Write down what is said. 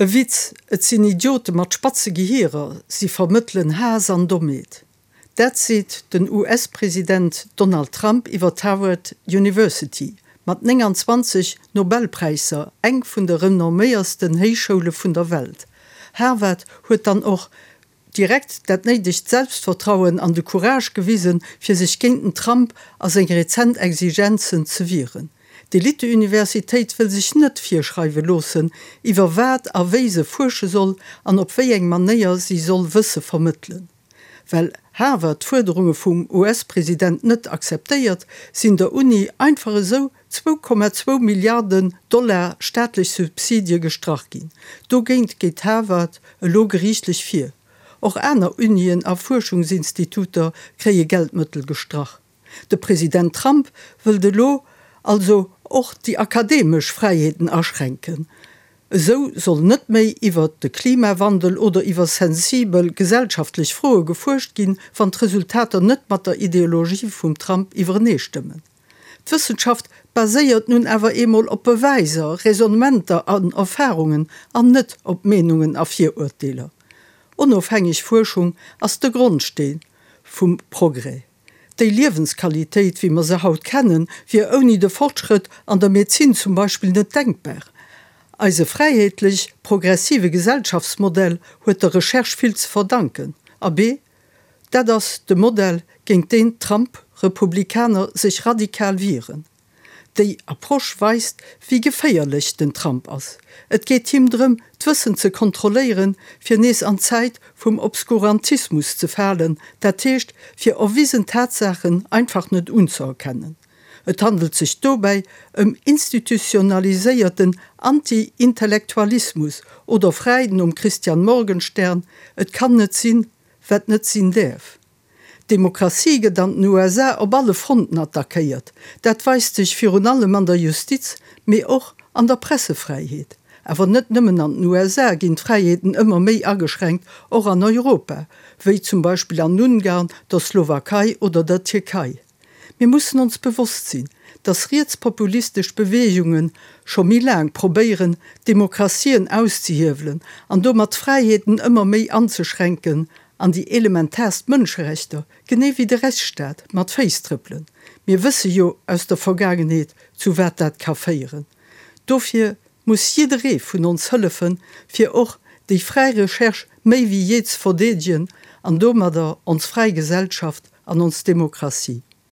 E Witz, et sinn Idiote mat spatze Gehirer, si vermëttelen Haass an Dommheet. Dat seet den US-President Donald Trump iwwer d'Harvard University, mat 29 Nobelpräisser eng vun de renomméiersten Héichschoule vun der Welt. Harvard huet dann och direkt dat néidegt Selbstvertrauen an de Courage gewisen, fir sech géint den Trump a seng rezent Exigenzen ze wieren. D'Eliteuniversitéit wëll sech net virschreiwe loossen, iwwer wat a wéi se fuersche soll an op wéi eng Manéier si soll Wësse vermëttelen. Well Harvard d'Fuerderunge vum US-President net akzeptéiert, sinn der Uni einfach esou 2,2 Milliarden Dollar staatlech Subsidie gestrach ginn. Dogéint geet Harvard elo geriichtlech vir. Och aner Unien a Fuerschungsinstituter kréie Geldmëttel gestrach. De President Trump wëllt elo also och déi akademesch Fräiheeten aschränken. Esou soll net méi iwwert de Klimawandel oder iwwer sensibel gesellschaftlech Froe gefuerscht ginn, wann d'Resultater net mat der Ideologie vum Trump iwwereneestëmmen. D'Wëssenschaft baséiert nun awer eemol op Beweiser, Raisonnementer an Erfarungen an net op Meenungen a Virurteeler. Onofhängeg Fuerschung ass de Grondsteen vum Progrès. Déi Liewensqualitéit, wéi mer se haut kennen, wier ouni de Fortschrëtt an der Medezin zum Beispill net denkbar. Eise fräiheetlech progressive Gesellschaftsmodell huet der Recherche vill ze verdanken. Abee, dat ass de Modell, géint deen d'Trump-Republikaner sech radikal wieren. Déi Approche weist, wéi geféierlech den Trump ass. Et geet him drëm, d'Wëssen ze kontrolléieren, fir nees an d'Zäit vum Obskurantismus ze falen, dat heescht, fir erwisen Tatsaachen einfach net unzëerkennen. Et handelt sech dobäi ëm institutionaliséierten Anti-Intellektualismus oder fräi nom Christian Morgenstern, Et kann net sinn, wat net sinn däerf. D'Demokratie gëtt an den USA op alle Fronten attackéiert. Dat weist sech virun allem an der Justiz, mee och an der Pressefräiheet. Awer net nëmmen an den USA ginn d'Fräiheeten ëmmer méi ageschränkt, och an Europa, wéi zum Beispill an Ungarn, der Slowakei oder der Tierkei. Mir mussen ons bewosst sinn, dass rietspopulistesch Beweegunge scho méi laang probéieren, d'Demokratien auszehiewelen an domat d'Fräiheeten ëmmer méi anzeschränken an déi elementaarst Mënscherechter, genee wéi de Rechtsstaat, mat Féiss trëppelen. Mir wësse jo aus der Vergaangenheet, zu wat dat ka féieren. Dofir muss jidderee vun ons hëllefen, fir och déi fräi Recherche méi wéi jee ze verdeedegen an domadder ons fräi Gesellschaft an ons Demokratie.